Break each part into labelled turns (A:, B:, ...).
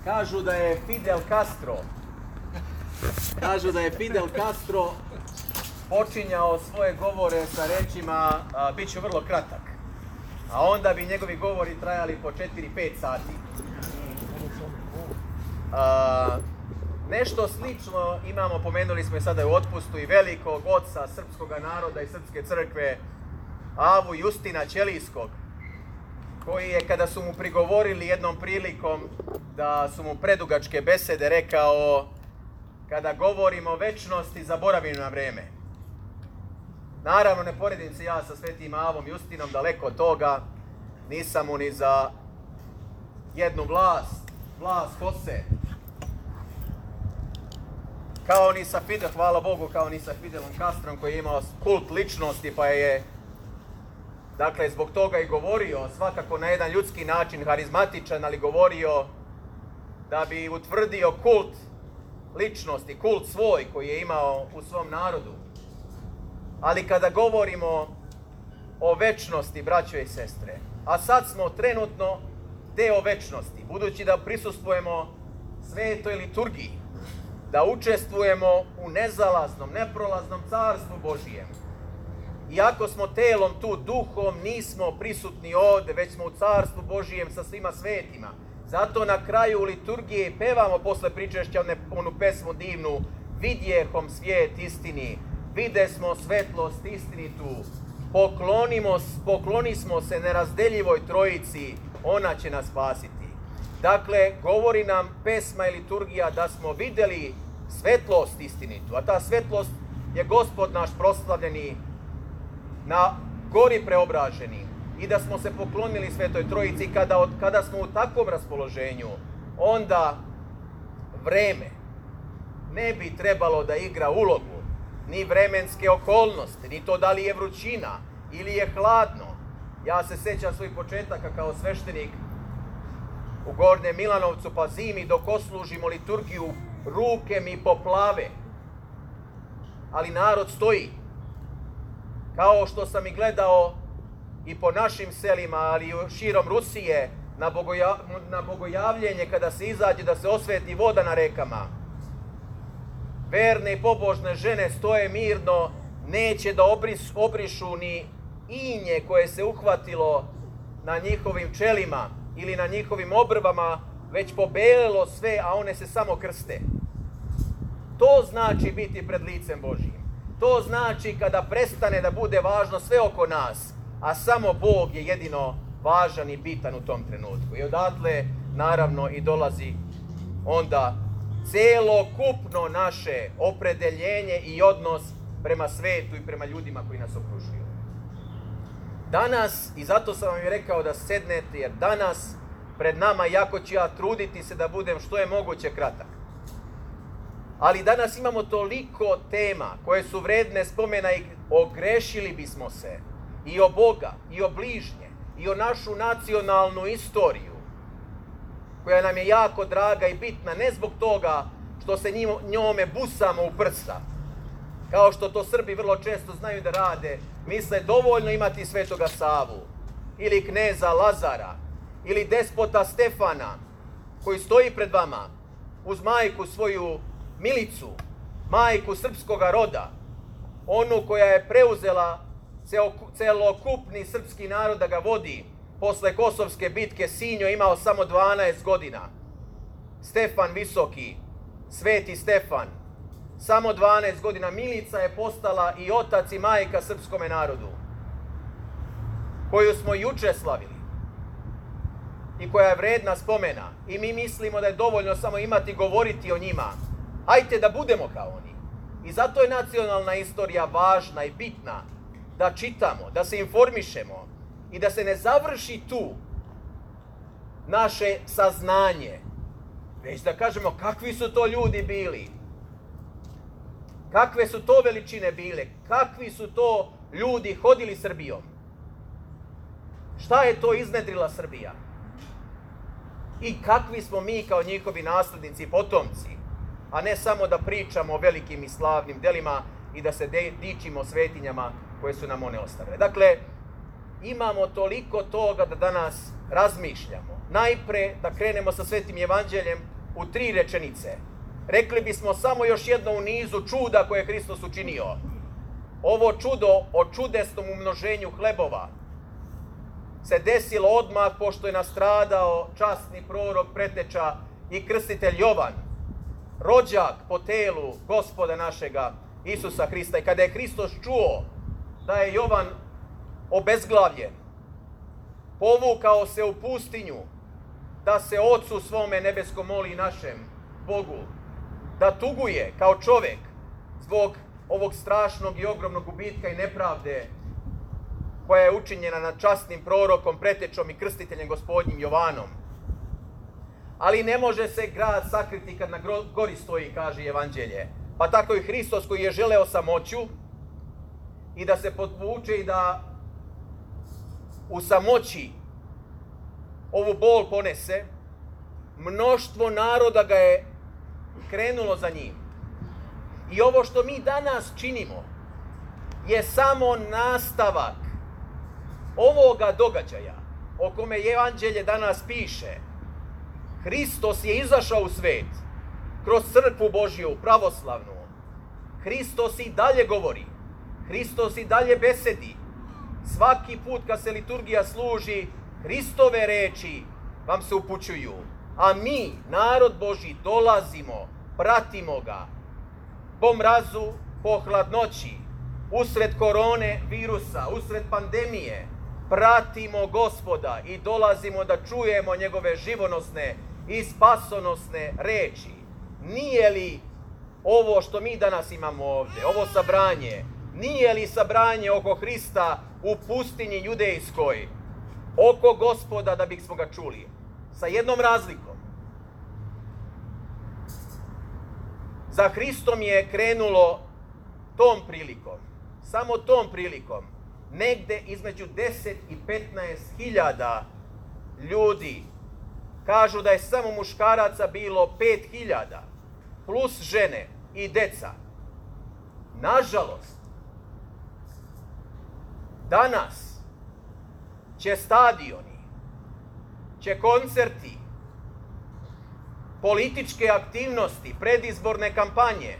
A: Kažu da je Fidel Castro počinjao svoje govore sa rečima bit ću vrlo kratak, a onda bi njegovi govori trajali po 4-5 sati. Nešto slično imamo, pomenuli smo i sada u otpustu, i velikog oca srpskog naroda i srpske crkve, Avu Justina Ćelijskog, koji je, kada su mu prigovorili jednom prilikom da su mu predugačke besede, rekao: kada govorimo o večnosti, zaboravimo na vreme. Naravno, ne poredim se ja sa svetim Avom Justinom, daleko od toga, nisam mu ni za jednu vlast kose, kao ni sa Fidel, hvala Bogu, kao ni sa Fidelom Castrom, koji je imao kult ličnosti, pa je, dakle, zbog toga i govorio, svakako na jedan ljudski način, harizmatičan, ali govorio da bi utvrdio kult ličnosti, kult svoj koji je imao u svom narodu. Ali kada govorimo o večnosti, braćo i sestre, a sad smo trenutno deo večnosti, budući da prisustvujemo svetoj liturgiji, da učestvujemo u nezalaznom, neprolaznom carstvu Božijem. Iako smo telom tu, duhom nismo prisutni ovde, već smo u carstvu Božijem sa svima svetima. Zato na kraju liturgije pevamo posle pričešća onu pesmu divnu: vidjehom svijet istini, videsmo svetlost istinitu, poklonismo se nerazdeljivoj trojici, ona će nas spasiti. Dakle, govori nam pesma i liturgija da smo videli svetlost istinitu, a ta svetlost je Gospod naš proslavljeni na gori preobraženi, i da smo se poklonili Svetoj Trojici. Kada smo u takvom raspoloženju, onda vreme ne bi trebalo da igra ulogu, ni vremenske okolnosti, ni to da li je vrućina ili je hladno. Ja se sećam svojih početaka kao sveštenik u Gornjem Milanovcu, pa zimi dok oslužimo liturgiju, ruke mi poplave, ali narod stoji. Kao što sam i gledao i po našim selima, ali i širom Rusije, na bogojavljenje, kada se izađe da se osveti voda na rekama. Verne i pobožne žene stoje mirno, neće da obrišu ni inje koje se uhvatilo na njihovim čelima ili na njihovim obrvama, već pobelelo sve, a one se samo krste. To znači biti pred licem Božijim. To znači kada prestane da bude važno sve oko nas, a samo Bog je jedino važan i bitan u tom trenutku. I odatle, naravno, i dolazi onda celokupno naše opredeljenje i odnos prema svetu i prema ljudima koji nas okružuju. Danas, i zato sam vam i rekao da sednete, jer danas pred nama, jako ću ja truditi se da budem što je moguće kratak, ali danas imamo toliko tema koje su vredne spomena i ogrešili bismo se i o Boga, i o bližnje, i o našu nacionalnu istoriju, koja nam je jako draga i bitna, ne zbog toga što se njome busamo u prsa, kao što to Srbi vrlo često znaju da rade. Misle dovoljno imati Svetoga Savu, ili kneza Lazara, ili despota Stefana, koji stoji pred vama uz majku svoju Milicu, majku srpskoga roda, onu koja je preuzela celokupni srpski narod da ga vodi posle Kosovske bitke. Sinjo imao samo 12 godina. Stefan Visoki, Sveti Stefan, samo 12 godina. Milica je postala i otac i majka srpskome narodu, koju smo juče slavili i koja je vredna spomena. I mi mislimo da je dovoljno samo imati, govoriti o njima. Hajte da budemo kao oni. I zato je nacionalna istorija važna i bitna, da čitamo, da se informišemo i da se ne završi tu naše saznanje, već da kažemo kakvi su to ljudi bili, kakve su to veličine bile, kakvi su to ljudi hodili Srbijom, šta je to iznedrila Srbija i kakvi smo mi kao njihovi naslednici i potomci, a ne samo da pričamo o velikim i slavnim delima i da se dičimo svetinjama koje su nam one ostavile. Dakle, imamo toliko toga da danas razmišljamo. najpre da krenemo sa Svetim Evanđeljem u 3 rečenice. Rekli bismo samo još jedno u nizu čuda koje je Hristos učinio. Ovo čudo o čudesnom umnoženju hlebova se desilo odmah pošto je nastradao časni prorok, preteča i krstitelj Jovan, rođak po telu Gospoda našega Isusa Hrista. I kada je Hristos čuo da je Jovan obezglavljen, povukao se u pustinju da se Ocu svome nebeskom moli našem Bogu, da tuguje kao čovjek zbog ovog strašnog i ogromnog gubitka i nepravde koja je učinjena nad časnim prorokom, pretečom i krstiteljem Gospodnjim Jovanom. Ali ne može se grad sakriti kad na gori stoji, kaže Evanđelje. Pa tako i Hristos koji je želeo samoću i da se podvuče i da u samoći ovu bol ponese, mnoštvo naroda ga je krenulo za njim. I ovo što mi danas činimo je samo nastavak ovoga događaja o kome Evanđelje danas piše. Hristos je izašao u svet kroz crkvu Božju, pravoslavnu. Hristos i dalje govori. Hristos i dalje besedi. Svaki put kad se liturgija služi, Hristove reči vam se upućuju. A mi, narod Božji, dolazimo, pratimo ga. Po mrazu, po hladnoći, usred korone virusa, usred pandemije, pratimo Gospoda i dolazimo da čujemo njegove živonosne i spasonosne reči. Nije li ovo što mi danas imamo ovdje, ovo sabranje, nije li sabranje oko Hrista u pustinji judejskoj, oko Gospoda da bismo ga čuli? Sa jednom razlikom. Za Hristom je krenulo tom prilikom, samo tom prilikom, negde između 10 i 15 hiljada ljudi. Kažu da je samo muškaraca bilo 5.000, plus žene i deca. Nažalost, danas će stadioni, će koncerti, političke aktivnosti, predizborne kampanje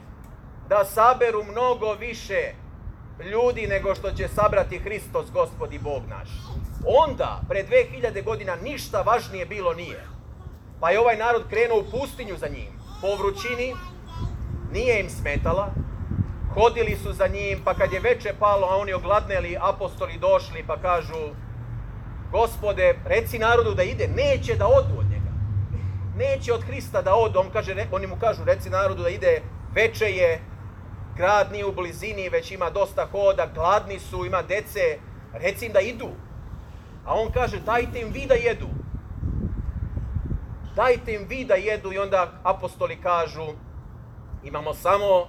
A: da saberu mnogo više ljudi nego što će sabrati Hristos, Gospod i Bog naš. Onda, pre 2000 godina, ništa važnije bilo nije. Pa je ovaj narod krenuo u pustinju za njim. Po vrućini, nije im smetala, hodili su za njim, pa kad je veče palo, a oni ogladneli, apostoli došli pa kažu: Gospode, reci narodu da ide. Neće da odu od njega. Neće od Hrista da odu. Oni mu kažu: reci narodu da ide, veče je, grad nije u blizini, već ima dosta hoda, gladni su, ima dece, reci im da idu. A on kaže: dajte im vi da jedu. Dajte im vi da jedu. I onda apostoli kažu: imamo samo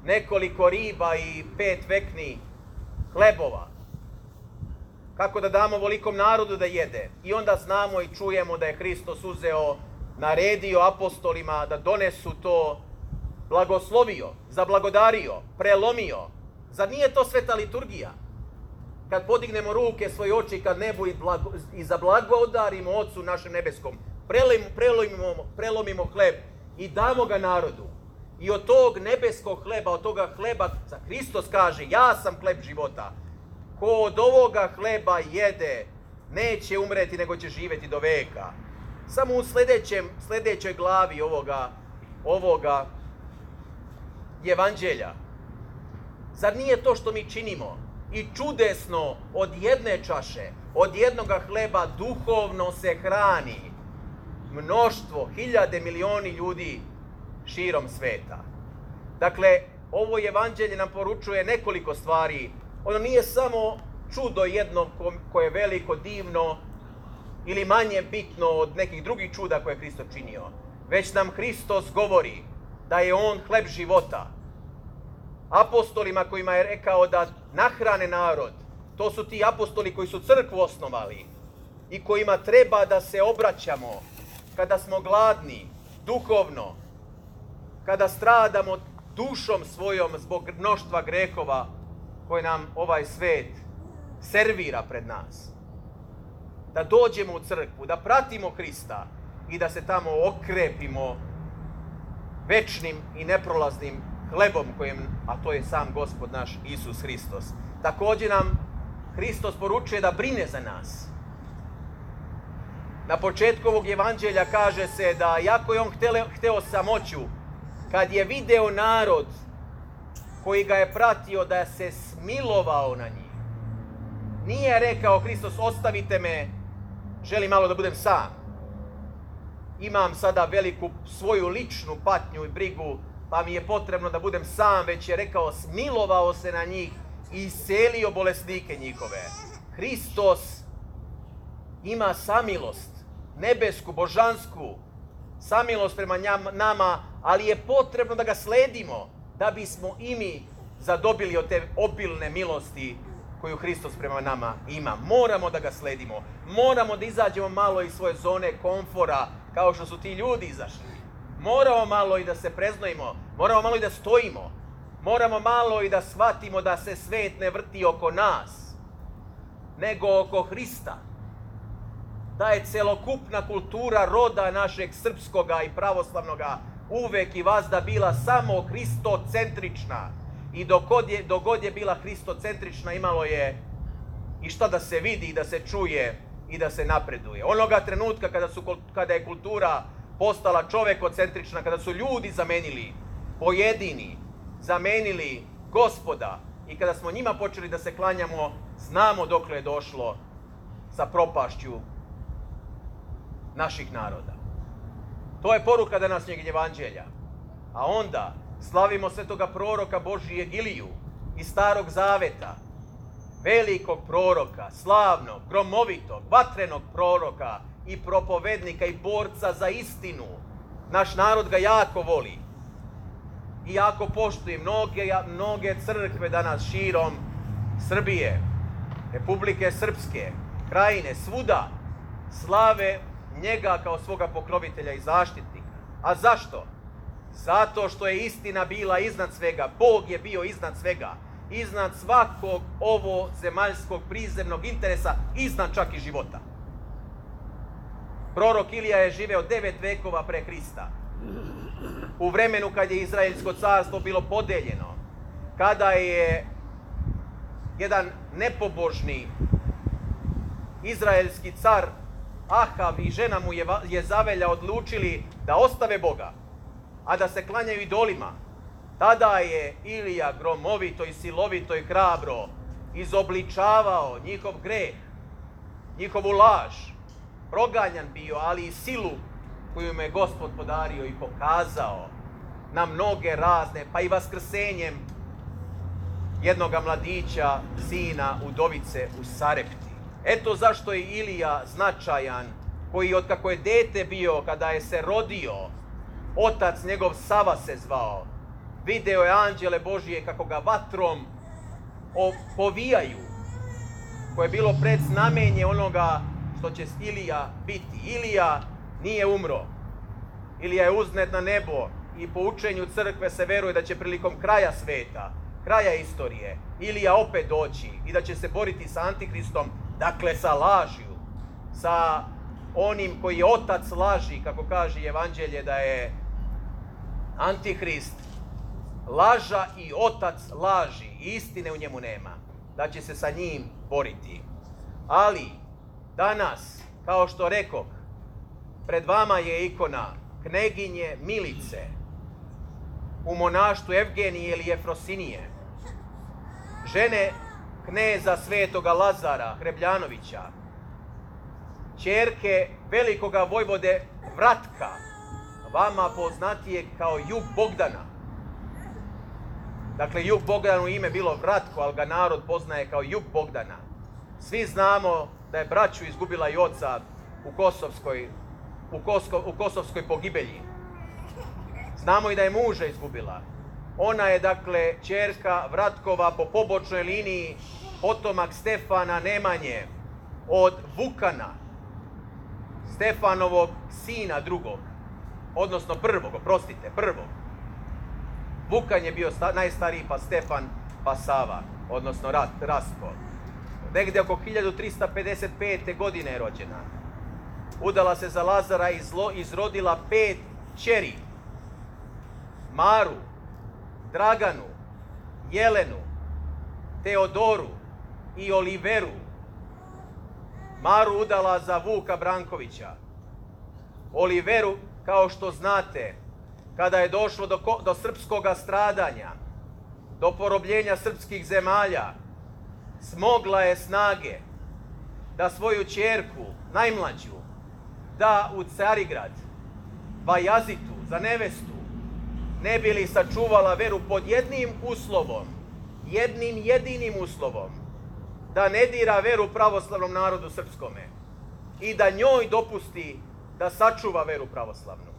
A: nekoliko riba i 5 vekni hlebova. Kako da damo velikom narodu da jede? I onda znamo i čujemo da je Hristos uzeo, naredio apostolima da donesu to, blagoslovio, zablagodario, prelomio. Zar nije to sveta liturgija? Kad podignemo ruke, svoje oči kad nebu i zablagodarimo Ocu našem nebeskom, prelomimo hleb i damo ga narodu. I od tog nebeskog hleba, od toga hleba, Hristos kaže: ja sam hleb života. Ko od ovoga hleba jede, neće umreti, nego će živjeti do veka. Samo u sljedećoj glavi ovoga Evanđelja. Zar nije to što mi činimo i čudesno od jedne čaše, od jednoga hleba duhovno se hrani mnoštvo, hiljade, milioni ljudi širom sveta? Dakle, ovo Evanđelje nam poručuje nekoliko stvari. Ono nije samo čudo jedno koje je veliko, divno ili manje bitno od nekih drugih čuda koje je Hristos činio, već nam Hristos govori da je on hleb života. Apostolima kojima je rekao da nahrane narod, to su ti apostoli koji su crkvu osnovali i kojima treba da se obraćamo kada smo gladni, duhovno, kada stradamo dušom svojom zbog mnoštva grehova koje nam ovaj svet servira pred nas. da dođemo u crkvu, da pratimo Hrista i da se tamo okrepimo večnim i neprolaznim hlebom a to je sam Gospod naš Isus Hristos. Također nam Hristos poručuje da brine za nas. Na početku ovog evanđelja kaže se da iako je on hteo samoću, kad je video narod koji ga je pratio, da se smilovao na njih. Nije rekao Hristos, ostavite me, želim malo da budem sam. Imam sada veliku svoju ličnu patnju i brigu, pa mi je potrebno da budem sam, već je rekao, smilovao se na njih i iscelio bolesnike njihove. Hristos ima samilost, nebesku, božansku, samilost prema nama, ali je potrebno da ga sledimo, da bismo i mi zadobili od te obilne milosti koju Hristos prema nama ima. Moramo da ga sledimo. Moramo da izađemo malo iz svoje zone komfora, kao što su ti ljudi izašli. Moramo malo i da se preznojimo. Moramo malo i da stojimo. Moramo malo i da shvatimo da se svet ne vrti oko nas, nego oko Hrista. Da je celokupna kultura roda našeg srpskoga i pravoslavnoga uvek i vazda bila samo hristocentrična. I dok god je bila hristocentrična, imalo je i šta da se vidi i da se čuje i da se napreduje. Onoga trenutka kada je kultura postala čovekocentrična, kada su ljudi zamenili pojedini, zamenili Gospoda i kada smo njima počeli da se klanjamo, znamo dokle je došlo sa propašću naših naroda. To je poruka današnjeg evanđelja. A onda slavimo svetoga proroka Božijeg Iliju iz Starog Zaveta, velikog proroka, slavnog, gromovitog, vatrenog proroka i propovednika i borca za istinu. Naš narod ga jako voli i jako poštuje. Mnoge crkve danas širom Srbije, Republike Srpske, Krajine, svuda slave njega kao svoga pokrovitelja i zaštitnika. A zašto? Zato što je istina bila iznad svega. Bog je bio iznad svega. Iznad svakog ovo zemaljskog prizemnog interesa, iznad čak i života. Prorok Ilija je živeo 9 vekova pre Hrista. U vremenu kad je Izraelsko carstvo bilo podeljeno, kada je jedan nepobožni izraelski car Ahav i žena mu Jezavelja odlučili da ostave Boga, a da se klanjaju idolima. Tada je Ilija gromovito i silovito i hrabro izobličavao njihov greh, njihovu laž, proganjan bio, ali i silu koju mu je Gospod podario i pokazao na mnoge razne, pa i vaskrsenjem jednoga mladića, sina udovice u Sarepti. Eto zašto je Ilija značajan, koji od kako je dete bio, kada je se rodio, otac njegov Sava se zvao. Video je anđele Božije kako ga vatrom povijaju, koje je bilo predznamenje onoga što će Ilija biti. Ilija nije umro. Ilija je uznet na nebo i po učenju crkve se veruje da će prilikom kraja sveta, kraja istorije, Ilija opet doći i da će se boriti sa Antihristom, dakle sa lažju, sa onim koji je otac laži, kako kaže Evanđelje da je Antihrist laža i otac laži, istine u njemu nema, da će se sa njim boriti. Ali danas, kao što rekoh, pred vama je ikona kneginje Milice u monaštvu Evgenije ili Efrosinije, žene kneza svetoga Lazara Hrebljanovića, ćerke velikoga vojvode Vratka, vama poznatije kao Jug Bogdana. Dakle, Jug Bogdanu ime bilo Vratko, ali ga narod poznaje kao Jug Bogdana. Svi znamo da je braću izgubila i oca u Kosovskoj pogibelji. Znamo i da je muža izgubila. Ona je, dakle, ćerka Vratkova po pobočnoj liniji, potomak Stefana Nemanje od Vukana, Stefanovog sina drugog, odnosno prvog. Vukan je bio najstariji, pa Stefan, pa Sava, odnosno Rastko. Negdje oko 1355. godine je rođena. Udala se za Lazara i izrodila 5 kćeri. Maru, Draganu, Jelenu, Teodoru i Oliveru. Maru udala za Vuka Brankovića. Oliveru, kao što znate, kada je došlo do srpskog stradanja, do porobljenja srpskih zemalja, smogla je snage da svoju ćerku, najmlađu, da u Carigrad, Bajazitu, za nevestu, ne bi li sačuvala veru pod jednim uslovom, jednim jedinim uslovom, da ne dira veru pravoslavnom narodu srpskome i da njoj dopusti da sačuva veru pravoslavnu.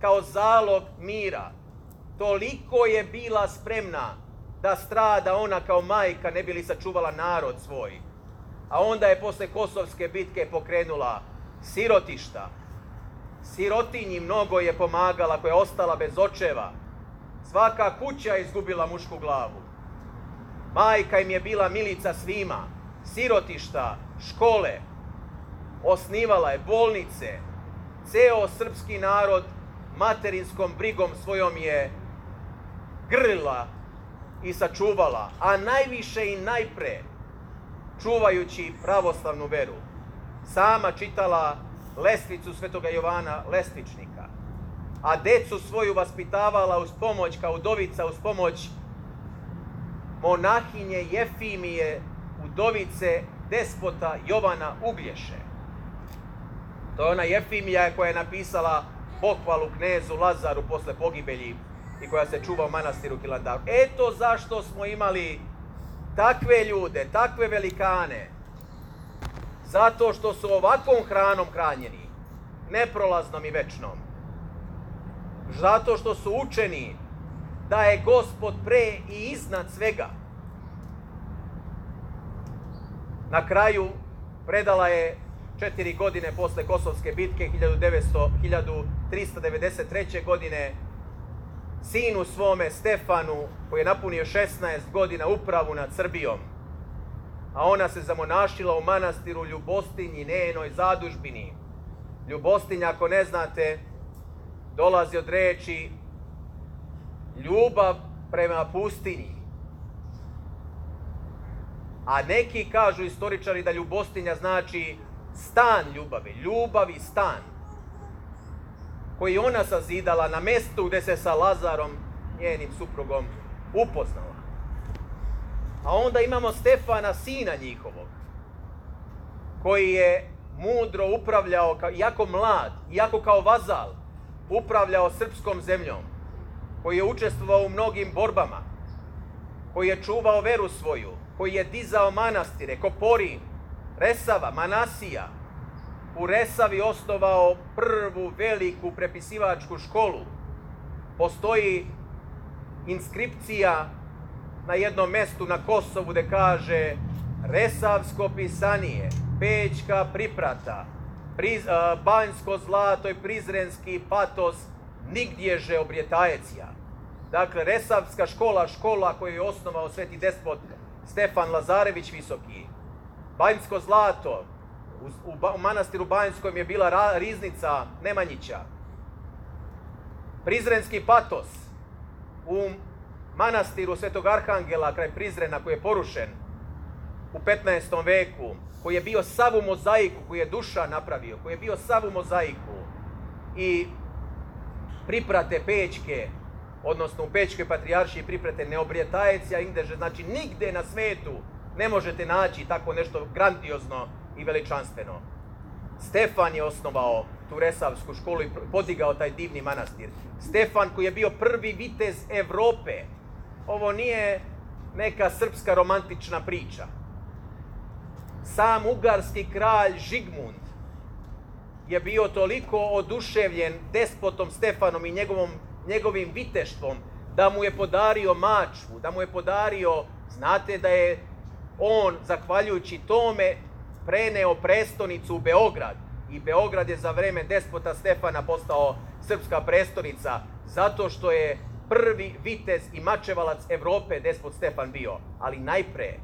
A: Kao zalog mira, toliko je bila spremna da strada ona kao majka ne bi li sačuvala narod svoj. A onda je posle Kosovske bitke pokrenula sirotišta. Sirotinji mnogo je pomagala, koja je ostala bez očeva. Svaka kuća je izgubila mušku glavu. Majka im je bila milica svima. Sirotišta, škole, osnivala je bolnice. Ceo srpski narod materinskom brigom svojom je grlila i sačuvala, a najviše i najpre čuvajući pravoslavnu veru. Sama čitala lestvicu Svetoga Jovana Lestvičnika, a decu svoju vaspitavala uz pomoć, kao udovica, uz pomoć monahinje Jefimije, udovice despota Jovana Uglješe. To je ona Jefimija koja je napisala pohvalu knezu Lazaru posle pogibelji i koja se čuva u manastiru Hilandaru. Eto zašto smo imali takve ljude, takve velikane. Zato što su ovakvom hranom hranjeni, neprolaznom i večnom. Zato što su učeni da je Gospod pre i iznad svega. Na kraju predala je 4 godine posle Kosovske bitke 1393. godine sinu svome Stefanu, koji je napunio 16 godina, upravu nad Srbijom. A ona se zamonašila u manastiru Ljubostinji, njenoj zadužbini. Ljubostinja, ako ne znate, dolazi od reči ljubav prema pustinji. A neki kažu istoričari da Ljubostinja znači stan ljubavi, ljubav i stan, koji ona sazidala na mestu gde se sa Lazarom, njenim suprugom, upoznala. A onda imamo Stefana, sina njihovog, koji je mudro upravljao, iako mlad, iako kao vazal, upravljao srpskom zemljom, koji je učestvovao u mnogim borbama, koji je čuvao veru svoju, koji je dizao manastire, Koporin, Resava, Manasija. U Resavi osnovao prvu veliku prepisivačku školu. Postoji inskripcija na jednom mestu na Kosovu gde kaže Resavsko pisanije, Pećka priprata, Banjsko zlato i Prizrenski patos, nigdježe obrijetajecija. Dakle, Resavska škola, škola koju je osnovao sveti despot Stefan Lazarević Visoki. Banjsko zlato, u manastiru Banjskom je bila riznica Nemanjića. Prizrenski patos, u manastiru Svetog Arhangela kraj Prizrena, koji je porušen u 15. veku, koji je bio sav u mozaiku, koji je Duša napravio, koji je bio sav u mozaiku, i priprate Pećke, odnosno u Pećkoj patrijaršiji priprate neobrijetajecija Indeže, znači nigde na svetu ne možete naći tako nešto grandiozno i veličanstveno. Stefan je osnovao tu Resavsku školu i podigao taj divni manastir. Stefan koji je bio prvi vitez Evrope. Ovo nije neka srpska romantična priča. Sam ugarski kralj Žigmund je bio toliko oduševljen despotom Stefanom i njegovim viteštvom da mu je podario mačvu, da mu je podario, znate da je on, zahvaljujući tome, preneo prestonicu u Beograd. I Beograd je za vreme despota Stefana postao srpska prestonica, zato što je prvi vitez i mačevalac Evrope despot Stefan bio. Ali najpre,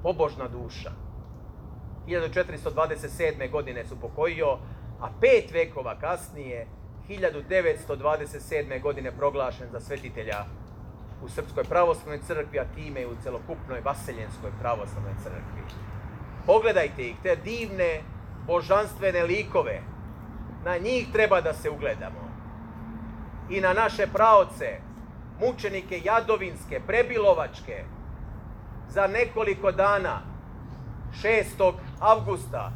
A: pobožna duša. 1427. godine se upokojio, a 5 vekova kasnije, 1927. godine proglašen za svetitelja u Srpskoj pravoslavnoj crkvi, a time i u celokupnoj Vaseljenskoj pravoslavnoj crkvi. Pogledajte ih, te divne božanstvene likove. Na njih treba da se ugledamo. I na naše praoce, mučenike Jadovinske, Prebilovačke. Za nekoliko dana, 6. avgusta,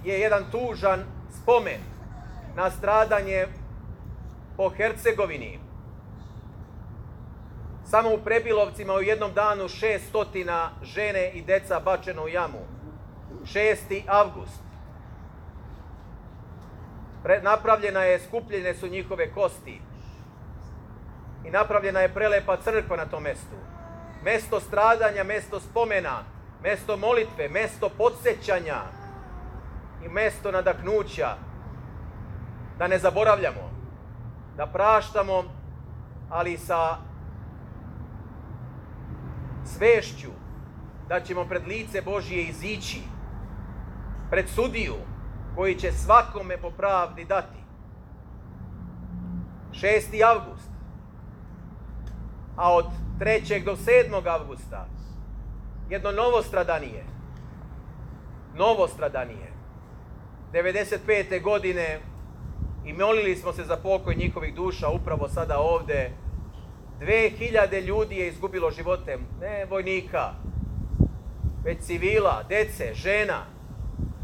A: je jedan tužan spomen na stradanje po Hercegovini. Samo u Prebilovcima u jednom danu 600 žene i deca bačeno u jamu. 6. avgust. Napravljena je, skupljene su njihove kosti. I napravljena je prelepa crkva na tom mestu. Mesto stradanja, mesto spomena, mesto molitve, mesto podsjećanja i mesto nadahnuća. Da ne zaboravljamo, da praštamo, ali sa svešću da ćemo pred lice Božije izići, pred sudiju koji će svakome po pravdi dati. 6. avgust. A od 3. do 7. avgusta jedno novo stradanije. 95. godine i molili smo se za pokoj njihovih duša upravo sada ovde. 2000 ljudi je izgubilo živote, ne vojnika, već civila, dece, žena,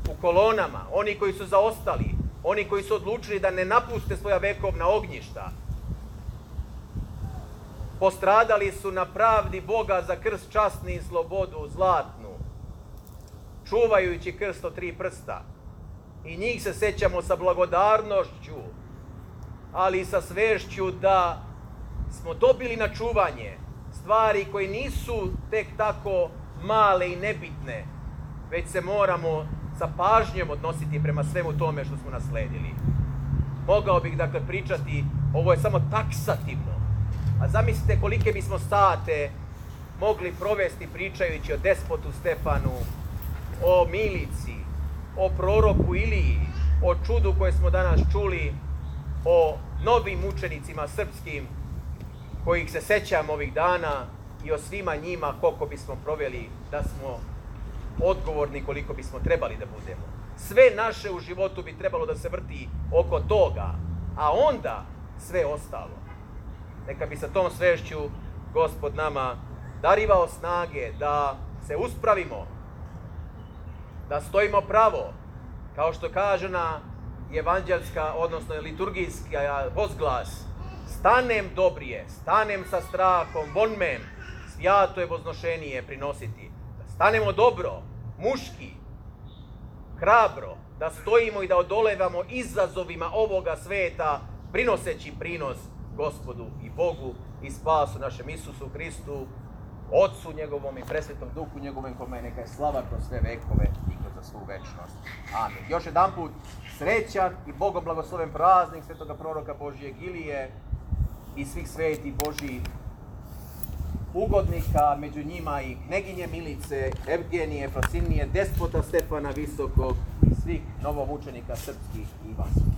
A: u kolonama, oni koji su zaostali, oni koji su odlučili da ne napuste svoja vekovna ognjišta. Postradali su na pravdi Boga za krst časni i slobodu zlatnu, čuvajući krst od 3 prsta. I njih se sećamo sa blagodarnošću, ali i sa svešću da smo dobili na čuvanje stvari koje nisu tek tako male i nebitne, već se moramo sa pažnjom odnositi prema svemu tome što smo nasledili. Mogao bih dakle pričati, ovo je samo taksativno, a zamislite kolike bismo sate mogli provesti pričajući o despotu Stefanu, o Milici, o proroku Iliji, o čudu koje smo danas čuli, o novim mučenicima srpskim kojih se sećamo ovih dana i o svima njima koliko bismo proveli da smo odgovorni koliko bismo trebali da budemo. Sve naše u životu bi trebalo da se vrti oko toga, a onda sve ostalo. Neka bi sa tom svešću Gospod nama darivao snage da se uspravimo, da stojimo pravo, kao što kaže na evanđelska, odnosno liturgijska возглас: stanem dobrije, stanem sa strahom, vonmem, svijato je voznošenije prinositi. Da stanemo dobro, muški, hrabro, da stojimo i da odolevamo izazovima ovoga sveta, prinoseći prinos Gospodu i Bogu i spasu našem Isusu Hristu, Otcu njegovom i presvetom Duhu njegovom, kome neka je slava kroz sve vekove i kroz svu večnost. Amin. Još jedan put srećan i Bogom blagosloven praznik svetoga proroka Božijeg Ilije i svih svetih Božjih ugodnika, među njima i kneginje Milice, Evgenije, Fasinije, despota Stefana Visokog i svih novomučenika srpskih i vas.